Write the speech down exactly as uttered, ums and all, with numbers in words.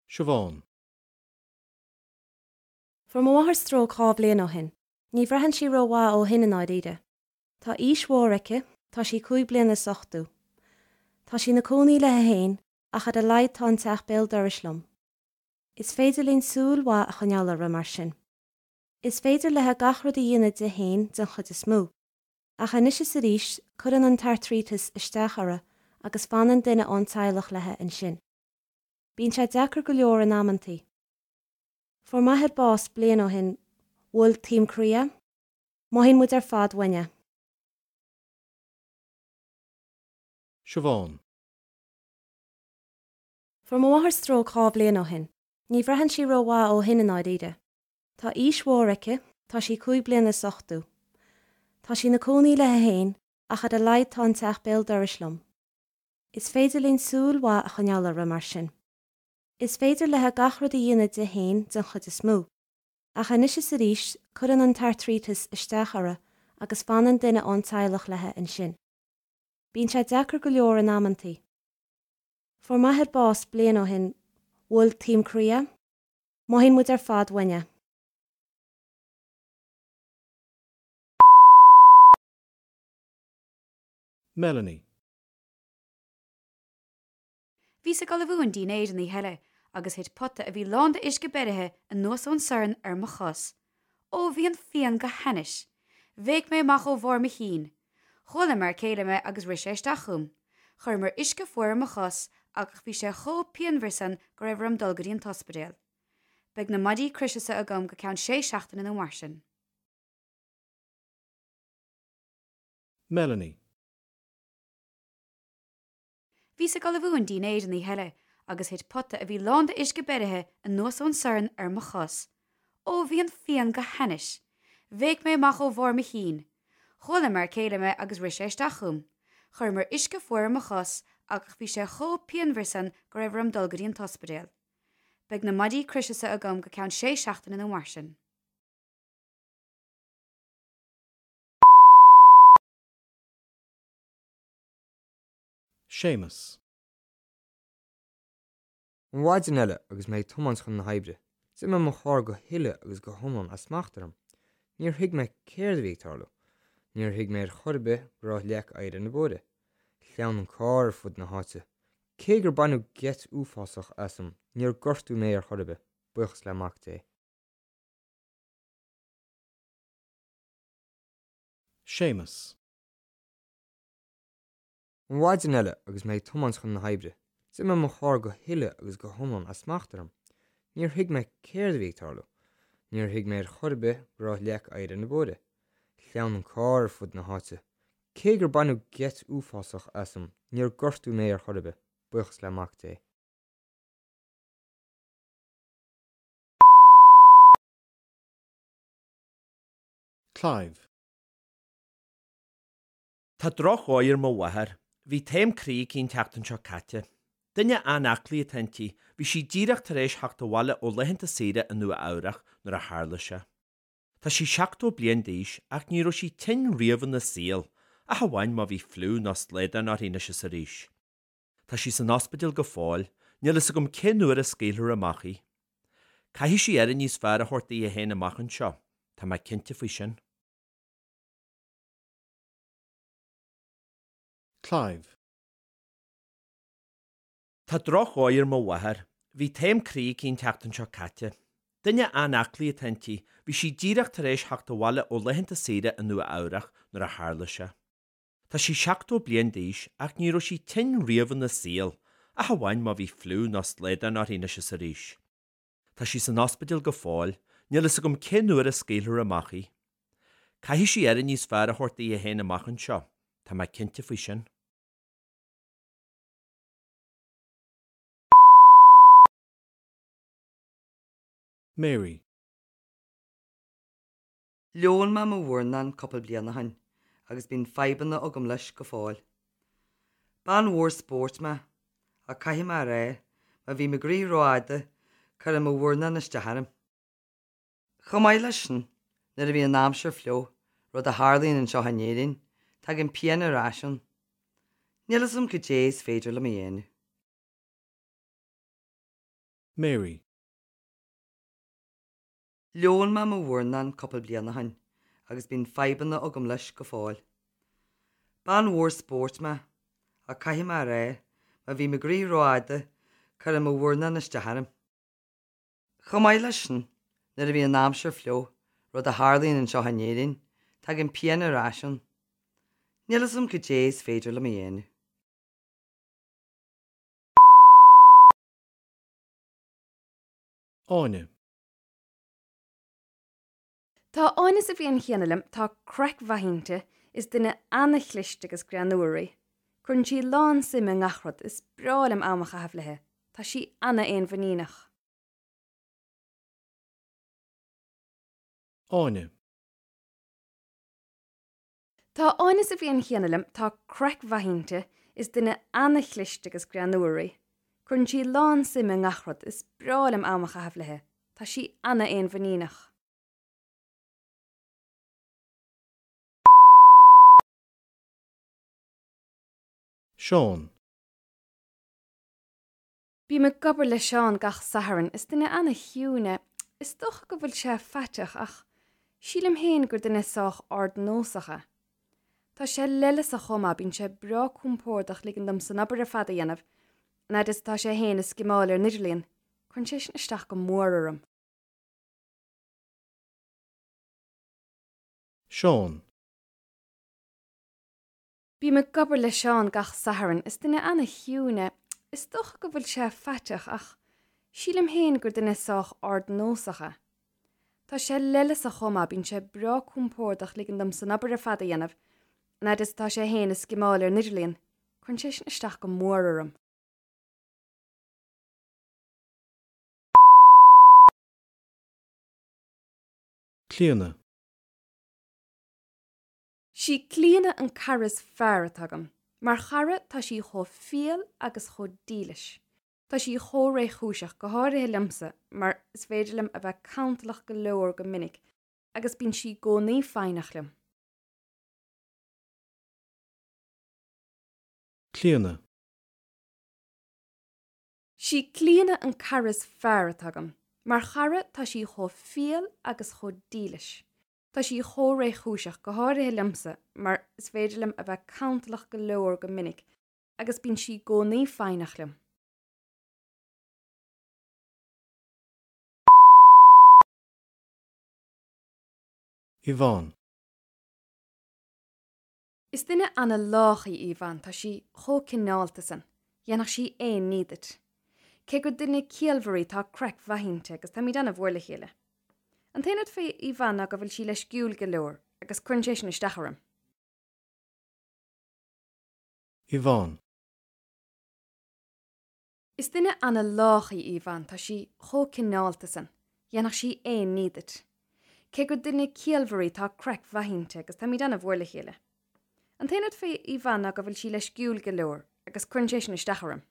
Siobhán. Fuair mo mháthair stróc dhá bhliain ó shin. Ní bhraitheann sí rómhaith ó shin i ndáiríre. Tá aois mhór aici, tá sí cúig bliana is ochtó. Tá sí ina cónaí léi féin ach ar a laghad tá an teach béal dorais liom. Is féidir linn súil mhaith a choinneáil uirthi mar sin. Is féidir léi gach rud a dhéanamh di féin den chuid is mó. Ach anois is arís cuireann an t-airtríteas isteach uirthi agus fanann duine ón teaghlach léi ansin. Bíonn sé deacair go leor in amantaí. Fuair m'athair bás bliain ó shin, bhuail taom croí é, mothaíonn muid ar fad uainn é. Siobhán. Fuair mo mháthair stróc dhá bhliain ó shin. Ní bhraitheann sí rómhaith ó shin i ndáiríre. Tá aois mhór aici, tá sí cúig bliana is ochtó. Tá sí ina cónaí léi féin ach ar a laghad tá an teach béal dorais liom. Is féidir linn súil mhaith a choinneáil uirthi mar sin. Is féidir léi gach rud a dhéanamh di féin den chuid is mó. Ach anois is arís cuireann an t-airtríteas isteach uirthi agus fanann duine ón teaghlach léi ansin. Bíonn sé deacair go leor in amantaí. Fuair m'athair bás bliain ó shin, bhuail taom croí é, mothaíonn muid ar fad uainn é. Melanie. Bhíos ag ullmhú an dinnéir an oíche eile agus thit pota a bhí lán d'uisce beirithe anuas ón sorn ar mo chos. Ó bhí an phian go hainnis. Bhéic mé amach ó bharr mo chinn. Chuala m'fhear céile mé agus rith sé isteach chugam. Chuireamar uisce fuar ar mo chos ach bhí sé chomh pianmhar san go raibh orm dul go dtí an t-ospidéal. Beidh na maidí croise seo agam go ceann sé seachtaine nó mar sin. Melanie. Bhíos ag ullmhú an dinnéir an oíche eile agus thit pota a bhí lán d'uisce beirithe anuas ón sorn ar mo chos. Ó bhí an phian go hainnis. Bhéic mé amach ó bharr mo chinn. Chuala m'fhear céile mé agus rith sé isteach chugam. Chuireamar uisce fuar ar mo chos ach bhí sé chomh pianmhar san go raibh orm dul go dtí an t-ospidéal. Beidh na maidí croise seo agam go ceann sé seachtaine nó mar sin. Séamus. An mhaidin eile agus mé ag tiomáint chun na hoibre, d'imigh mo charr go huile agus go hiomlán as smacht orm. Níor thuig mé céard a bhí ag tarlú. Níor thuig mé ar chor ar bith go raibh leac oighir ar na bóithre. Shleamhnaigh an carr ar fud na háite. Cé gur baineadh geit uafásach asam, níor gortaíodh mé ar chor ar bith, buíochas le Mac Dé. Séamus. An mhaidin eile agus mé ag tiomáint chun na hoibre, d'imigh mo charr go huile agus go hiomlán as smacht orm. Níor thuig mé céard a bhí ag tarlú. Níor thuig mé ar chor ar bith go raibh leac oighir ar na bóithre. Shleamhnaigh an carr ar fud na háite. Cé gur baineadh geit uafásach asam, níor gortaíodh mé ar chor ar bith, buíochas le Mac Dé. Clive. Tá drochdhóigh ar mo mháthair. Bhí taom croí aici an tseachtain seo caite. Duine an-aclaí atá inti, bhí sí díreach tar éis theacht abhaile ó laethanta saoire i Nua Eabhrac nuair a tharla sé. Tá sí seachtó bliain d'aois ach ní raibh sí tinn riamh ina saol, ach amháin má bhí fliú nó slaghdán uirthi anois is arís. Tá sí san ospidéal go fóill, níl fhios agam cén uair a scaoilfear amach í. Caithfidh sí aire níos fearr a thabhairt di féin amach anseo, tá mé cinnte faoi sin. Clive. Tá drochdhóigh ar mo mháthair. Bhí taom croí aici an tseachtain seo caite. Duine an-aclaí atá inti, bhí sí díreach tar éis theacht abhaile ó laethanta saoire i Nua Eabhrac nuair a tharla sé. Tá sí seachtó bliain d'aois ach ní raibh sí tinn riamh ina saol, ach amháin má bhí fliú nó slaghdán uirthi anois is arís. Tá sí san ospidéal go fóill, níl fhios agam cén uair a scaoilfear amach í. Caithfidh sí aire níos fearr a thabhairt di féin amach anseo, tá mé cinnte faoi sin. Mary. Leon mé mo mhurnán cúpla bliain ó shin agus bíonn fadhbanna agam leis go fóill. Bean mhór spóirt mé, ach caithfidh mé a rá, má bhím ag rith rófhada, cuireann mo mhurnán isteach orm. Chomh maith leis sin, nuair a bhíonn an aimsir fliuch, rud a tharlaíonn anseo in Éirinn, tagann pian ar ais ann. Níl a fhios agam cad é is féidir liom a dhéanamh. Mary. Leon mé mo mhurnán cúpla bliain ó shin agus bíonn fadhbanna agam leis go fóill. Bean mhór spóirt mé, ach caithfidh mé a rá, má bhím ag rith rófhada, cuireann mo mhurnán isteach orm. Chomh maith leis sin, nuair a bhíonn an aimsir fliuch, rud a tharlaíonn anseo in Éirinn, tagann pian ar ais ann. Níl a fhios agam cad é is féidir liom a dhéanamh. Áine. Tá Áine sa bhliain chéanna liom, tá craic mhaith inti, is duine an-chliste agus greannmhar í. Cuireann sí lán suim i ngach rud, is breá liom am a chaitheamh léi. Tá sí an-fhéinmhuiníneach. Áine. Tá Áine sa bhliain chéanna liom, tá craic mhaith inti, is duine an-chliste agus greannmhar í. Cuireann sí lán suim i ngach rud, is breá liom am a chaitheamh léi. Tá sí an-fhéinmhuiníneach. Seán. Bím ag obair le Seán gach Satharn, is duine an-chiúin é. Is dócha go bhfuil sé faiteach ach sílim féin gur duine sách ardnósach é. Tá sé leithleasach chomh maith, bíonn sé breá compordach ligean dom san obair ar fad a dhéanamh, an fhad is atá sé féin ag scimeáil ar an idirlíon. Cuireann sé sin isteach go mór orm. Seán. Bím ag obair le Seán gach Satharn, is duine an-chiúin é. Is dócha go bhfuil sé faiteach ach sílim féin gur duine sách ardnósach é. Tá sé leithleasach chomh maith, bíonn sé breá compordach ligean dom san obair ar fad a dhéanamh, an fhad is atá sé féin ag scimeáil ar an idirlíon. Cuireann sé sin isteach go mór orm. Clíona. Sí Clíona an cara is fearr atá agam. Mar chara tá sí chomh fial agus chomh dílis. Tá sí chomh réchúiseach, go háirithe liomsa, mar is féidir liom a bheith cantalach go leor go minic, agus bíonn sí i gcónaí foighneach liom. Clíona. Sí Clíona an cara is fearr atá agam. Mar chara tá sí chomh fial agus chomh dílis. Tá sí chomh réchúiseach, go háirithe liomsa, mar is féidir liom a bheith cantalach go leor go minic, agus bíonn sí i gcónaí foighneach liom. Yvonne. Is duine an-lách í Yvonne, tá sí chomh cineálta san. Dhéanfadh sí aon ní duit. Cé gur duine ciallmhar í, tá craic mhaith inti agus táimid an-mhór le chéile. An t-aon rud faoi Yvonne ná go bhfuil sí leisciúil go leor agus cuireann sé sin isteach orm. Yvonne. Is duine an-lách í Yvonne, tá sí chomh cineálta san. Dhéanfadh sí aon ní duit. Cé gur duine ciallmhar í, tá craic mhaith inti agus táimid an-mhór le chéile. An t-aon rud faoi Yvonne ná go bhfuil sí leisciúil go leor agus cuireann sé sin isteach orm.